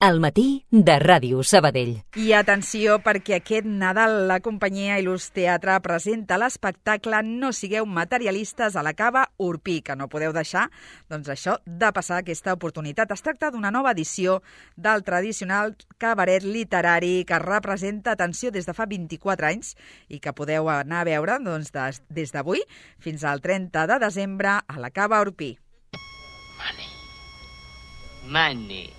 Al matí de Ràdio Sabadell. I atenció, perquè aquest Nadal la companyia Il·lus Teatre presenta l'espectacle No sigueu materialistes a la Cava Orpí, que no podeu deixar, doncs això, de passar aquesta oportunitat. Es tracta d'una nova edició del tradicional cabaret literari que representa, atenció, des de fa 24 anys i que podeu anar a veure doncs, des d'avui fins al 30 de desembre a la Cava Orpí. Money.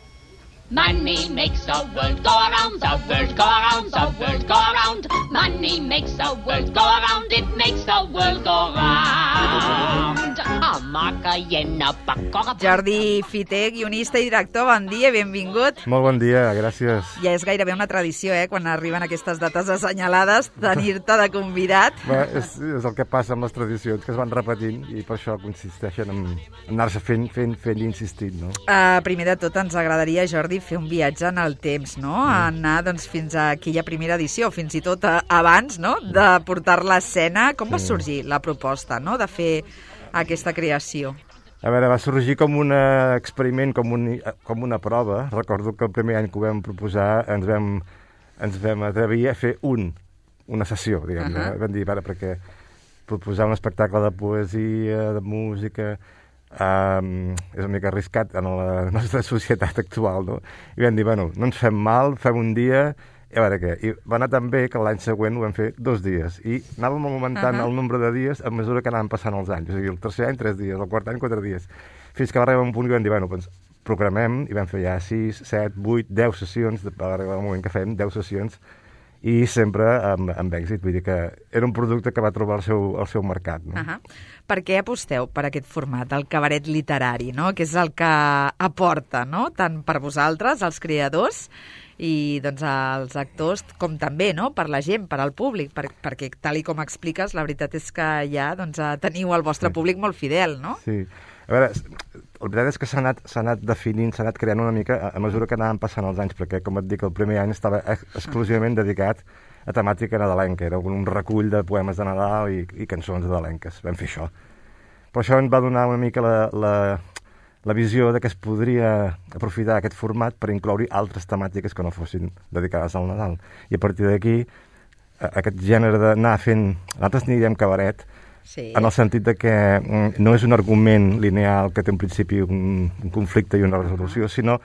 Money makes the world go around, the world go around, the world go around. Money makes the world go around, it makes the world go round. Jordi Fiter, guionista i director, bon dia, benvingut. Molt bon dia, gràcies. Ja és gairebé una tradició, quan arriben aquestes dates assenyalades, tenir-te de convidat. Bé, és el que passa amb les tradicions, que es van repetint i per això consisteixen en anar-se fent i insistint, no? Primer de tot, ens agradaria, Jordi, fer un viatge en el temps, no? Anar doncs, fins a aquella primera edició, fins i tot abans, no? De portar-la a escena. Com va sorgir la proposta, no? De fer aquesta creació? A veure, va sorgir com un experiment, com una prova. Recordo que el primer any que ho vam proposar ens vam atrevir a fer una sessió, diguem. Vam dir, perquè proposar un espectacle de poesia, de música, és una mica arriscat en la nostra societat actual, no? I vam dir, no ens fem mal, fem un dia, i a veure què. I va anar tan bé que l'any següent ho vam fer 2 dies. I anàvem augmentant el nombre de dies a mesura que anàvem passant els anys. O sigui, el tercer any 3 dies, el quart any 4 dies. Fins que va arribar un punt que vam dir, doncs programem, i vam fer ja 6, 7, 8, 10 sessions, va arribar un moment que fem 10 sessions, i sempre amb èxit. Vull dir que era un producte que va trobar el seu mercat. No? Per què aposteu per aquest format, el cabaret literari, no? Que és el que aporta, no? Tant per vosaltres, els creadors, i doncs els actors, com també, no? Per la gent, per al públic, perquè tal i com expliques, la veritat és que ja teniu el vostre públic molt fidel, no? Sí. A veure, la veritat és que s'ha anat definint, s'ha anat creant una mica a mesura que anàvem passant els anys, perquè, com et dic, el primer any estava exclusivament dedicat a temàtica nadalenca. Era un recull de poemes de Nadal i cançons nadalenques. Vam fer això. Però això ens va donar una mica la visió de que es podria aprofitar aquest format per incloure altres temàtiques que no fossin dedicades al Nadal. I a partir d'aquí, aquest gènere d'anar fent... Nosaltres n'hi diem cabaret, en el sentit de que no és un argument lineal que té un principi, un conflicte i una resolució, sinó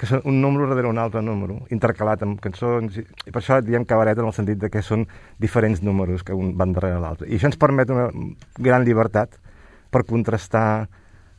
que és un número darrere un altre número, intercalat amb cançons, i per això diem cabaret en el sentit de que són diferents números que un van darrere l'altre. I això ens permet una gran llibertat per contrastar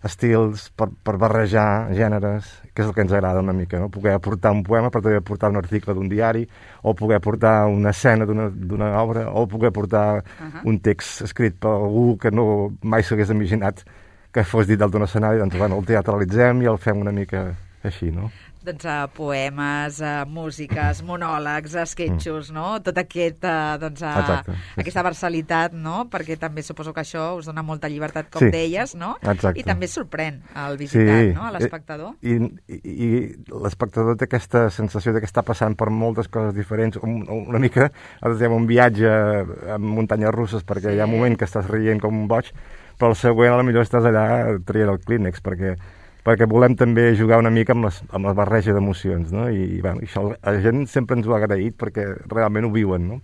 estils, per barrejar gèneres, que és el que ens agrada una mica, no? Poder aportar un poema, però també aportar un article d'un diari, o poder aportar una escena d'una obra, o poder aportar un text escrit per algú que mai s'hagués imaginat que fos dit dalt d'un escenari. Doncs, el teatralitzem i el fem una mica així, no? Doncs poemes, músiques, monòlegs, esquetxos, no? Tot aquesta versalitat, no? Perquè també suposo que això us dona molta llibertat, com deies, no? Exacte. I també sorprèn al visitant, no? A l'espectador. I l'espectador té aquesta sensació que està passant per moltes coses diferents, una mica, nosaltres diem un viatge amb muntanyes russes, perquè hi ha un moment que estàs rient com un boig, però el següent potser estàs allà traient el clínex, perquè volem també jugar una mica amb la barreja d'emocions, no? I això la gent sempre ens ho ha agraït perquè realment ho viuen, no?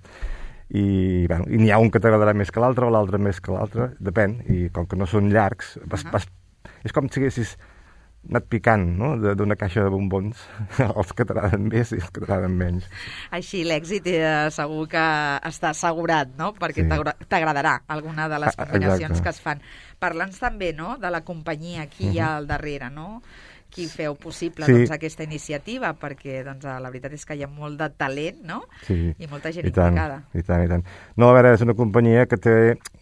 I n'hi ha un que t'agradarà més que l'altre o l'altre més que l'altre, depèn, i com que no són llargs, és com si haguessis anat picant, no?, d'una caixa de bombons, els que t'agraden més i els que t'agraden menys. Així l'èxit segur que està assegurat, no?, perquè t'agradarà alguna de les combinacions que es fan. Parla'ns també, no?, de la companyia, qui hi ha al darrere, no?, qui feu possible aquesta iniciativa, perquè la veritat és que hi ha molt de talent, no?, i molta gent implicada. I tant. No, a veure, és una companyia que té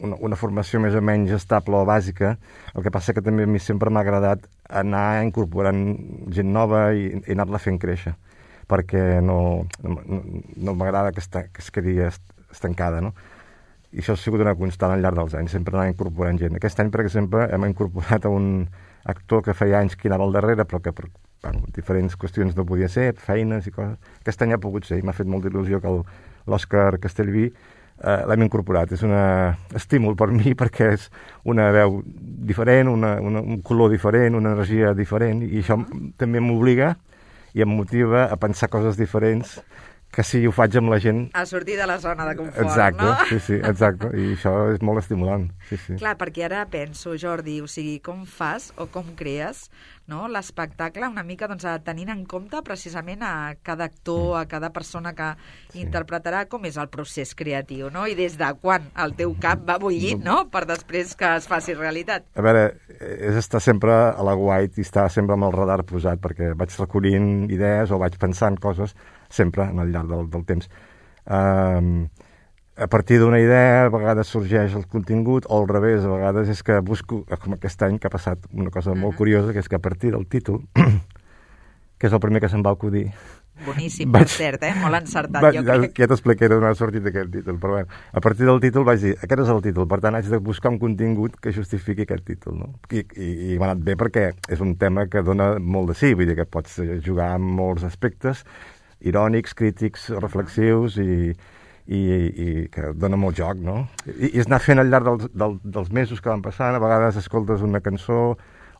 una formació més o menys estable o bàsica. El que passa que també a mi sempre m'ha agradat anar incorporant gent nova i anar-la fent créixer, perquè no m'agrada que es quedi estancada, no? I això ha sigut una constant al llarg dels anys, sempre anar incorporant gent. Aquest any, per exemple, hem incorporat un actor que feia anys que anava al darrere, però que per diferents qüestions no podia ser, feines i coses. Aquest any ha pogut ser, i m'ha fet molta il·lusió que l'Òscar Castellví l'hem incorporat. És un estímul per mi, perquè és una veu diferent, un color diferent, una energia diferent, i això també m'obliga i em motiva a pensar coses diferents que si ho faig amb la gent... A sortir de la zona de confort, exacte, no? Sí, exacte. I això és molt estimulant, sí. Clar, perquè ara penso, Jordi, o sigui, com fas o com crees, no?, l'espectacle una mica doncs, tenint en compte precisament a cada actor, a cada persona que interpretarà, com és el procés creatiu, no? I des de quan el teu cap va bullint, no?, per després que es faci realitat. A veure, és estar sempre a la guait i estar sempre amb el radar posat, perquè vaig recollint idees o vaig pensant coses sempre al llarg del temps. A partir d'una idea, a vegades sorgeix el contingut, o al revés, a vegades és que busco, com aquest any que ha passat una cosa molt curiosa, que és que a partir del títol, que és el primer que se'm va acudir... Boníssim, per cert, molt encertat, jo crec. Ja t'explicaré d'on ha sortit aquest títol, però bé, a partir del títol vaig dir, aquest és el títol, per tant haig de buscar un contingut que justifiqui aquest títol, no? I m'ha anat bé perquè és un tema que dona molt de sí, vull dir que pots jugar amb molts aspectes, irònics, crítics, reflexius i que dona molt joc, no? I és anar fent al llarg dels mesos que van passant, a vegades escoltes una cançó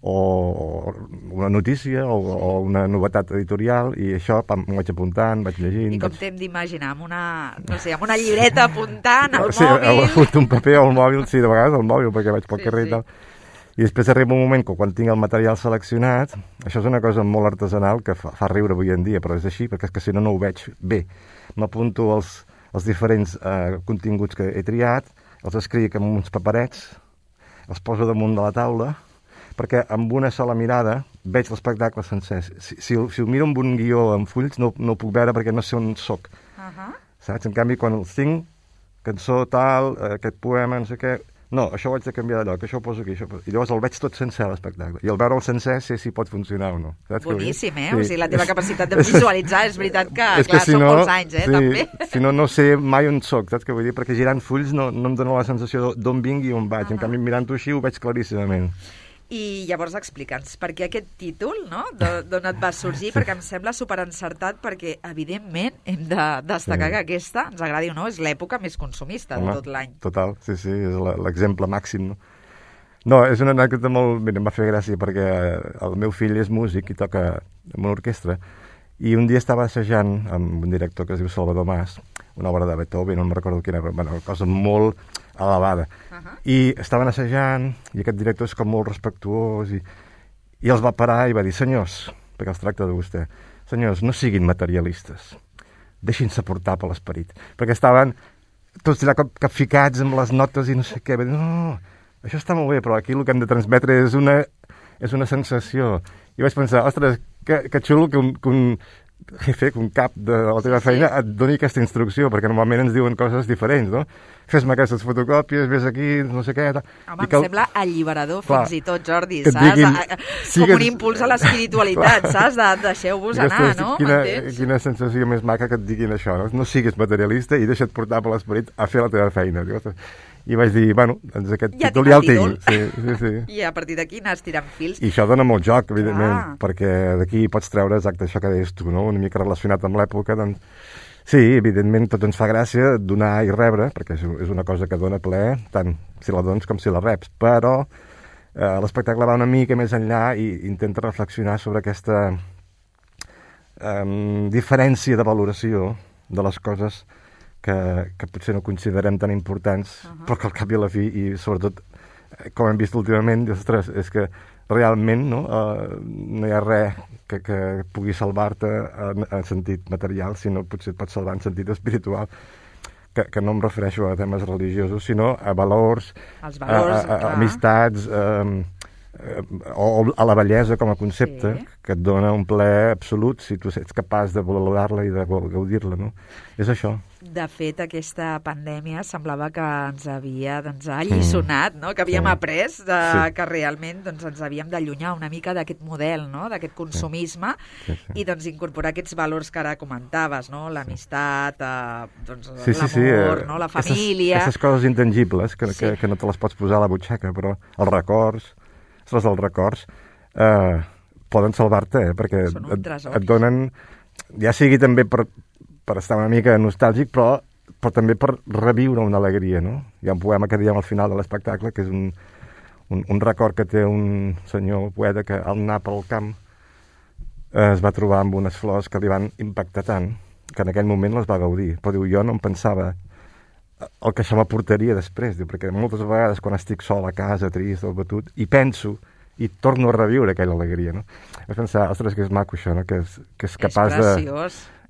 o una notícia o una novetat editorial i això m'ho vaig apuntant, vaig llegint... I com t'hem d'imaginar, amb una llibreta apuntant al mòbil... Sí, un paper o el mòbil, sí, de vegades al mòbil perquè vaig pel carrer i tal. I després arriba un moment que quan tinc el material seleccionat, això és una cosa molt artesanal que fa riure avui en dia, però és així, perquè és que si no ho veig bé. M'apunto els diferents continguts que he triat, els escric amb uns paperets, els poso damunt de la taula, perquè amb una sola mirada veig l'espectacle sencer. Si ho miro amb un guió en fulls no ho puc veure perquè no sé on soc. Saps? En canvi, quan els tinc, cançó tal, aquest poema, no sé què... No, això ho haig de canviar de lloc, això ho poso aquí, I llavors el veig tot sencer, l'espectacle. I al veure'l sencer sé si pot funcionar o no. Saps boníssim, O sigui, la teva capacitat de visualitzar és veritat que, clar, són molts anys, també. Si no sé mai on soc, saps què vull dir? Perquè girant fulls no em dóna la sensació d'on vinc i on vaig. En canvi, mirant-ho així ho veig claríssimament. I llavors explica'ns, per què aquest títol, no?, d'on et va sorgir, perquè em sembla superencertat, perquè evidentment hem de destacar que aquesta, ens agradi o no, és l'època més consumista de tot l'any. Total, sí, és l'exemple màxim, no? No, és una anècdota molt... Mira, em va fer gràcia perquè el meu fill és músic i toca en una orquestra i un dia estava assajant amb un director que es diu Salvador Mas, una obra de Beethoven, no em recordo quina, una cosa molt elevada. I estaven assajant, i aquest director és com molt respectuós, i els va parar i va dir, senyors, perquè es tracta de vostè, senyors, no siguin materialistes, deixin-se portar per l'esperit, perquè estaven tots allà capficats amb les notes i no sé què, va dir, no, això està molt bé, però aquí el que hem de transmetre és una sensació. I vaig pensar, ostres, que xulo que un jefe, que un cap de la teva feina et doni aquesta instrucció, perquè normalment ens diuen coses diferents, no? Fes-me aquestes fotocòpies, vés aquí, no sé què... Home, em sembla alliberador, fins i tot, Jordi, saps? Com un impuls a l'espiritualitat, saps? Deixeu-vos anar, no? Quina sensació més maca que et diguin això, no? No siguis materialista i deixa't portar per l'esperit a fer la teva feina. I vaig dir, bueno, doncs aquest títol ja el tinc. Sí. I a partir d'aquí anar estirant fils. I això dona molt joc, evidentment, perquè d'aquí pots treure exacte això que deies tu, no? Una mica relacionat amb l'època, doncs... Sí, evidentment, tot ens fa gràcia donar i rebre, perquè és una cosa que dona plaer, tant si la dones com si la reps, però l'espectacle va una mica més enllà i intenta reflexionar sobre aquesta diferència de valoració de les coses que potser no considerem tan importants, però que al cap i a la fi, i sobretot, com hem vist últimament, ostres, és que realment no hi ha res que pugui salvar-te en sentit material, sinó potser et pot salvar en sentit espiritual, que no em refereixo a temes religiosos, sinó a valors, a amistats, o a la bellesa com a concepte, que et dona un plaer absolut si tu ets capaç de valorar-la i de gaudir-la, no? És això. De fet, aquesta pandèmia semblava que ens havia alliçonat, no? Que havíem après que realment ens havíem d'allunyar una mica d'aquest model, no? D'aquest consumisme i incorporar aquests valors que ara comentaves, no? L'amistat, l'amor, no? La família... Aquestes coses intangibles que no te les pots posar a la butxaca, però els records poden salvar-te, perquè et donen, ja sigui també per estar una mica nostàlgic, però també per reviure una alegria, no? Hi ha un poema que diem al final de l'espectacle, que és un record que té un senyor poeta que al anar pel camp es va trobar amb unes flors que li van impactar tant que en aquell moment les va gaudir. Però diu, jo no em pensava el que això m'aportaria després, diu, perquè moltes vegades quan estic sol a casa, trist o batut, i penso i torno a reviure aquella alegria, no? Vaig pensar, ostres, que és maco això, no? Que és capaç de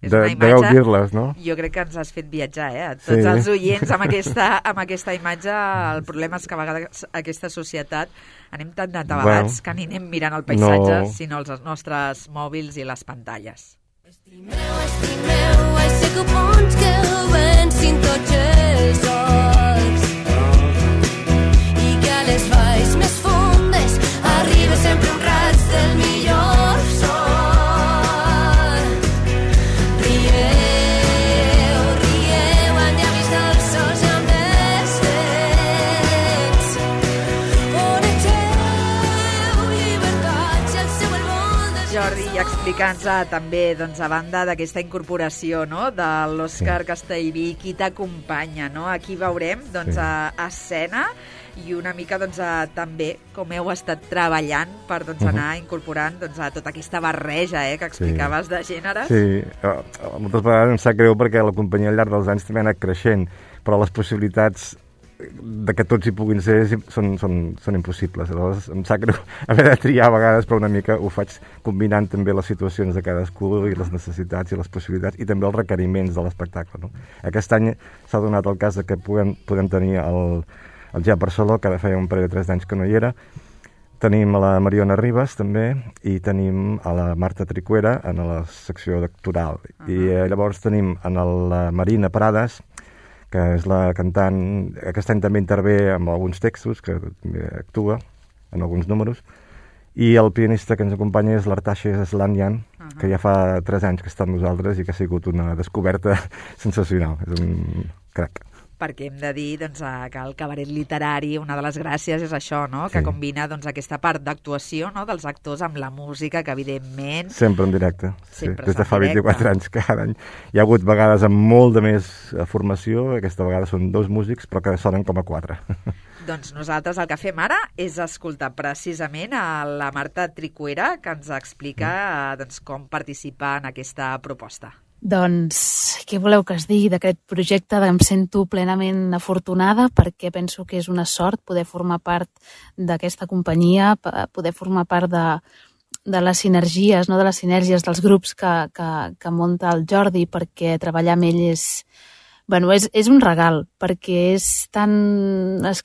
gaudir-les, no? Jo crec que ens has fet viatjar, a tots els oients amb aquesta imatge. El problema és que a vegades aquesta societat anem tan atabalats que ni anem mirant el paisatge, sinó els nostres mòbils i les pantalles. Estimeu, ai sé que bons que vencin tots els horts i que a les valls més fondes arriba sempre un raig del millor sol. Rieu, rieu, han ja vist els sols i amb els vents. Onegeu, llibertats, el seu el món dels... Jordi, i explicant-nos també, doncs, a banda d'aquesta incorporació, no?, de l'Òscar Castellví, qui t'acompanya, no? Aquí veurem, doncs, a escena i una mica, doncs, també com heu estat treballant per, doncs, anar incorporant, doncs, a tota aquesta barreja, que explicaves de gèneres. Sí, moltes vegades em sap greu perquè la companyia al llarg dels anys també ha anat creixent, però les possibilitats de que tots hi puguin ser són impossibles. Aleshores, em sap greu haver de triar a vegades, però una mica ho faig combinant també les situacions de cadascú i les necessitats i les possibilitats i també els requeriments de l'espectacle, no? Aquest any s'ha donat el cas de que podem tenir el Gep Barceló, que ara feia un parell de 3 anys que no hi era. Tenim a la Mariona Ribas, també, i tenim a la Marta Tricuera en la secció d'actoral. I llavors tenim en la Marina Prades, que és la cantant, aquest any també intervé amb alguns textos, que també actua en alguns números, i el pianista que ens acompanya és l'Artaxe Slanyan, que ja fa 3 anys que està amb nosaltres i que ha sigut una descoberta sensacional. És un crac. Perquè hem de dir, doncs, que el cabaret literari, una de les gràcies és això, no?, que combina, doncs, aquesta part d'actuació, no?, dels actors amb la música, que evidentment... Sempre en directe, des de fa 24 anys cada any. Hi ha hagut vegades amb molt de més formació, aquesta vegada són 2 músics, però que sonen com a 4. Doncs nosaltres el que fem ara és escoltar precisament a la Marta Tricuera, que ens explica doncs, com participar en aquesta proposta. Doncs, què voleu que es digui d'aquest projecte? Em sento plenament afortunada perquè penso que és una sort poder formar part d'aquesta companyia, poder formar part de les sinergies, no? De les sinergies dels grups que munta el Jordi, perquè treballar amb ell és un regal, perquè es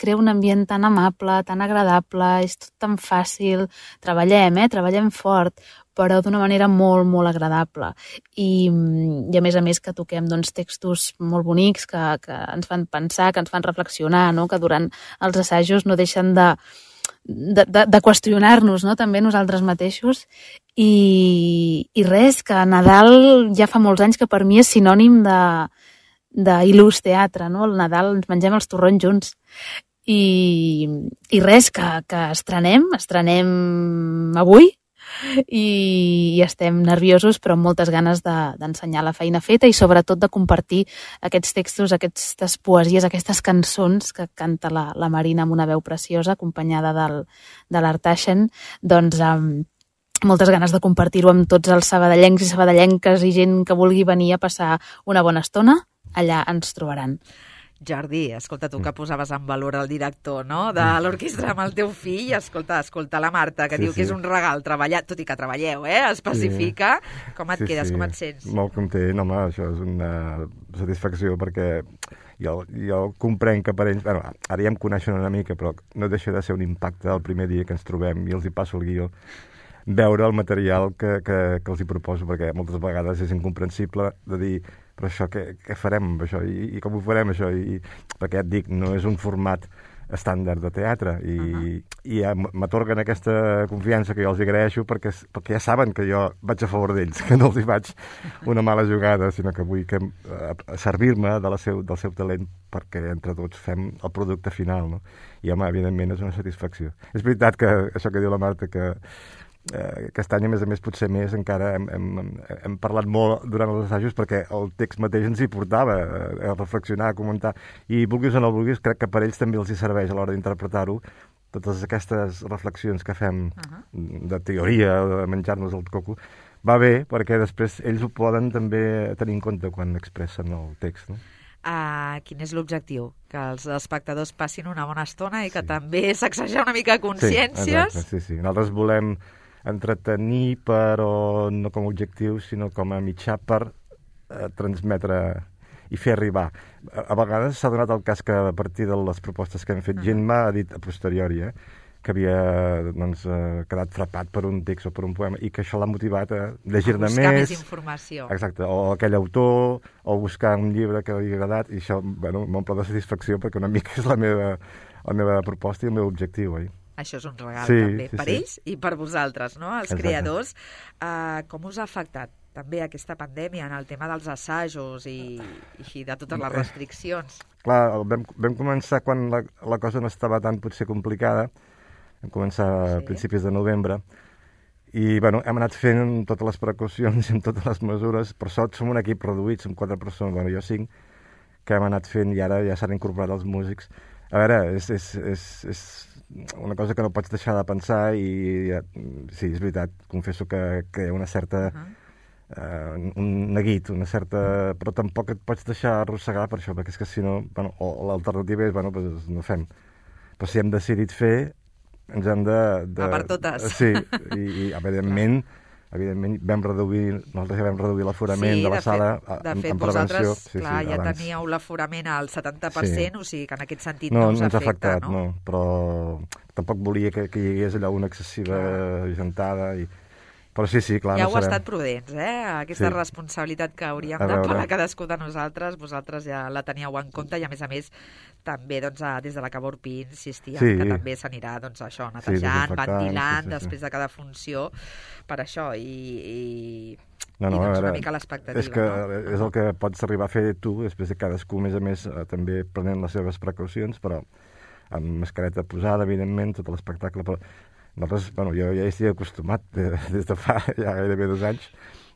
crea un ambient tan amable, tan agradable, és tot tan fàcil. Treballem fort, però d'una manera molt, molt agradable. I a més que toquem doncs, textos molt bonics que ens fan pensar, que ens fan reflexionar, no? Que durant els assajos no deixen de qüestionar-nos, no? També nosaltres mateixos. I res, que Nadal ja fa molts anys que per mi és sinònim d'il·lús teatre, no? El Nadal ens mengem els torrons junts. I res, que estrenem avui, i estem nerviosos però amb moltes ganes d'ensenyar la feina feta i sobretot de compartir aquests textos, aquestes poesies, aquestes cançons que canta la Marina amb una veu preciosa acompanyada de l'Artaxen, doncs moltes ganes de compartir-ho amb tots els sabadellencs i sabadellenques i gent que vulgui venir a passar una bona estona, allà ens trobaran. Jordi, escolta, tu que posaves en valor el director, no?, de l'orquestra amb el teu fill, escolta la Marta, que diu que és un regal treballar, tot i que treballeu, especifica. Com et quedes, com et sents? Molt content, home, això és una satisfacció, perquè jo comprenc que per ells, ara ja em coneixen una mica, però no deixa de ser un impacte el primer dia que ens trobem i els hi passo el guió, veure el material que els hi proposo, perquè moltes vegades és incomprensible de dir, però això què farem amb això i com ho farem això, perquè et dic, no és un format estàndard de teatre i m'atorguen aquesta confiança que jo els agraeixo perquè ja saben que jo vaig a favor d'ells, que no els hi faig una mala jugada, sinó que vull servir-me del seu talent perquè entre tots fem el producte final, no? I home, evidentment és una satisfacció. És veritat que això que diu la Marta, que aquest any, a més, potser més encara hem parlat molt durant els assajos perquè el text mateix ens hi portava a reflexionar, a comentar, i vulguis o no vulguis, crec que per ells també els hi serveix a l'hora d'interpretar-ho, totes aquestes reflexions que fem de teoria, de menjar-nos el coco, va bé, perquè després ells ho poden també tenir en compte quan expressen el text, no? Quin és l'objectiu? Que els espectadors passin una bona estona i que també sacsejar una mica consciències? Sí. Nosaltres volem entretenir, però no com a objectiu, sinó com a mitjà per transmetre i fer arribar. A vegades s'ha donat el cas que a partir de les propostes que hem fet, gent m'ha dit a posteriori, que havia quedat frapat per un text o per un poema i que això l'ha motivat a llegir-ne més. Buscar més informació. Exacte, o aquell autor, o buscar un llibre que li ha agradat, i això m'omple de satisfacció perquè una mica és la meva proposta i el meu objectiu, oi? Això és un regal també, per ells i per vosaltres, no? Els creadors. Com us ha afectat també aquesta pandèmia en el tema dels assajos i de totes les restriccions? Clar, vam començar quan la cosa no estava tan potser complicada. Vam començar a principis de novembre i hem anat fent totes les precaucions i amb totes les mesures. Per sort som un equip reduït, som 4 persones, jo 5, que hem anat fent i ara ja s'han incorporat els músics. A veure, és una cosa que no pots deixar de pensar i sí, és veritat, confesso que crea una certa un neguit, una certa... però tampoc et pots deixar arrossegar per això, perquè és que si no, o l'alternativa és, doncs no fem. Però si hem decidit fer, ens hem de... A per totes. Sí, i evidentment nosaltres ja vam reduir l'aforament de la sala en prevenció. De fet, vosaltres, clar, ja teníeu l'aforament al 70%, o sigui que en aquest sentit no us ens ha afectat, no? Però tampoc volia que hi hagués allà una excessiva gentada i... Però sí, clar, ja no heu estat prudents, Aquesta responsabilitat que hauríem de pagar cadascú de nosaltres, vosaltres ja la teníeu en compte i, a més, també des de la Cava Orpí insistíem que també s'anirà netejant, ventilant després de cada funció per això i una mica l'expectativa. És que és el que pots arribar a fer tu, després de cadascú, a més, també prenent les seves precaucions, però amb mascareta posada, evidentment, tot l'espectacle, però nosaltres, jo ja hi estic acostumat des de fa ja gairebé 2 anys,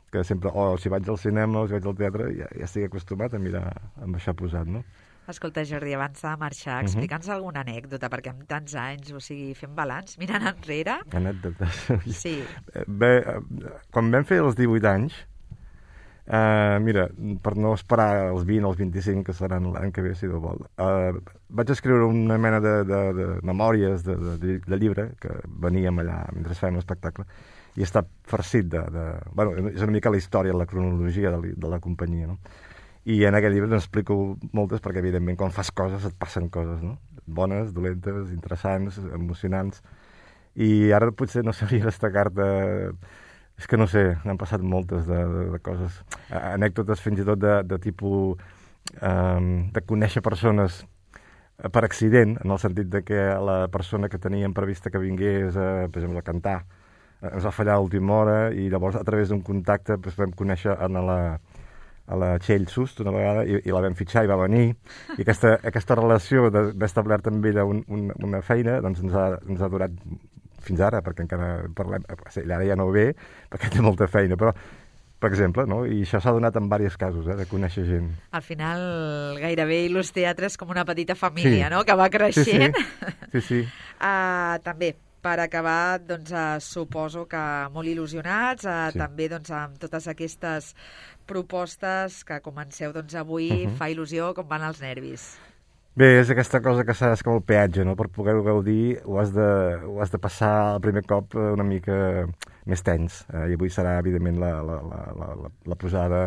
que sempre, si vaig al cinema o si vaig al teatre, ja estic acostumat a mirar amb això posat, no? Escolta, Jordi, abans de marxar, explica'ns alguna anècdota, perquè amb tants anys, o sigui, fem balanç, mirant enrere... Anècdotes? Sí. Bé, quan vam fer els 18 anys, mira, per no esperar els 20 o els 25, que seran l'any que ve, si Déu vol, vaig escriure una mena de memòries de llibre, que veníem allà mentre fèiem l'espectacle, i està farcit és una mica la història, la cronologia de la companyia, no? I en aquest llibre n'explico moltes, perquè evidentment quan fas coses et passen coses, no? Bones, dolentes, interessants, emocionants, i ara potser no sabria destacar-te... És que no sé, n'han passat moltes de coses. Anècdotes fins i tot de tipus de conèixer persones per accident, en el sentit de que la persona que teníem prevista que vingués, per exemple, a cantar, ens va fallar a l'última hora i llavors a través d'un contacte vam conèixer a la Txell Sust una vegada i la vam fitxar i va venir. I aquesta relació d'haver establert amb ella una feina doncs ens ha durat fins ara, perquè encara parlem... Ell ara ja no ve, perquè té molta feina, però, per exemple, no? I això s'ha donat en diversos casos, de conèixer gent. Al final, gairebé Ilús Teatre és com una petita família, no?, que va creixent. Sí. També, per acabar, doncs, suposo que molt il·lusionats, també doncs, amb totes aquestes propostes que comenceu avui, fa il·lusió, com van els nervis? Bé, és aquesta cosa que saps com el peatge, no? Per poder-ho gaudir ho has de passar el primer cop una mica més tens. I avui serà, evidentment, la posada,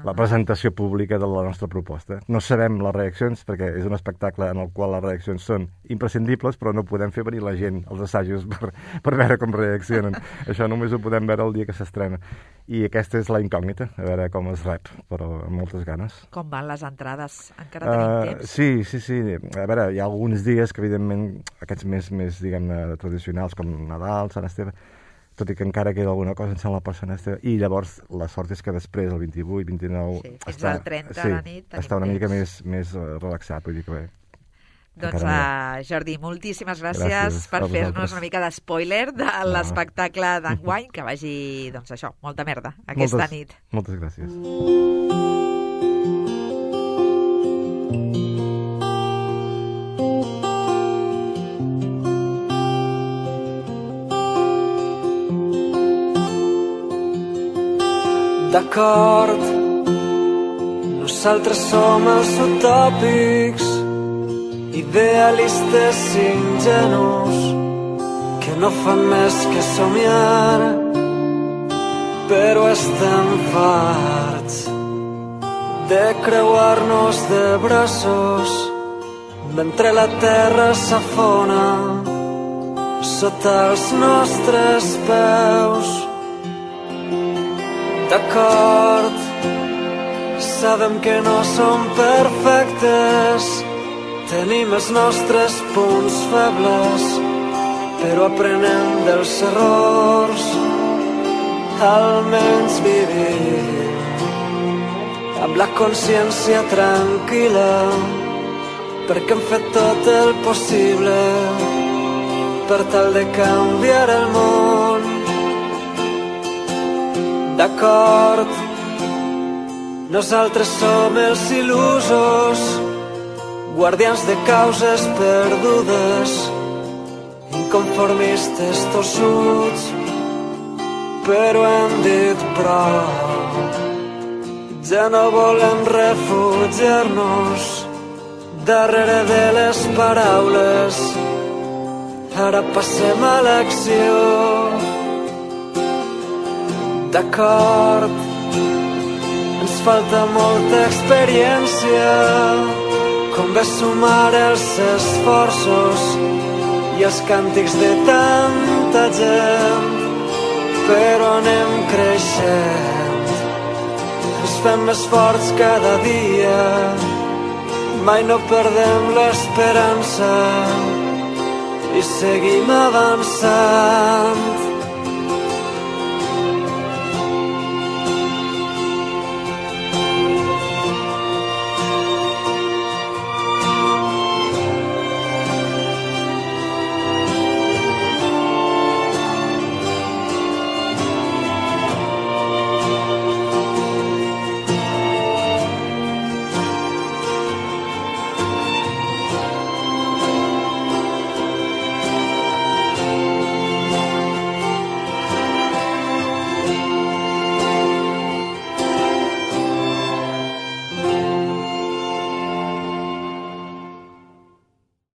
la presentació pública de la nostra proposta. No sabem les reaccions, perquè és un espectacle en el qual les reaccions són imprescindibles, però no podem fer venir la gent als assajos per veure com reaccionen. Això només ho podem veure el dia que s'estrena. I aquesta és la incògnita, a veure com es rep, però amb moltes ganes. Com van les entrades? Encara tenim temps? Sí. A veure, hi ha alguns dies que, evidentment, aquests més diguem-ne, tradicionals, com Nadal, Sant Esteve, tot i que encara queda alguna cosa en Sant la Sant Esteve, i llavors la sort és que després, el 28, 29... fins al 30 a la nit, està una mica més relaxat, vull dir que bé. Doncs, Jordi, moltíssimes gràcies per fer-nos una mica d'espoiler de l'espectacle d'enguany, que vagi, doncs això, molta merda aquesta nit. Moltes gràcies. D'acord, nosaltres som els utòpics, idealistes ingenus, que no fan més que somiar, però estem farts de creuar-nos de braços mentre la terra s'afona sota els nostres peus. D'acord, sabem que no som perfectes, tenim els nostres punts febles, però aprenem dels errors, almenys vivim amb la consciència tranquil·la, perquè hem fet tot el possible per tal de canviar el món. D'acord, nosaltres som els il·lusos, guardians de causes perdudes, inconformistes tossuts, però hem dit prou. Ja no volem refugiar-nos darrere de les paraules, ara passem a l'acció. D'acord, ens falta molta experiència, convé sumar els esforços i els càntics de tanta gent, però anem creixent, ens fem més forts cada dia, mai no perdem l'esperança i seguim avançant.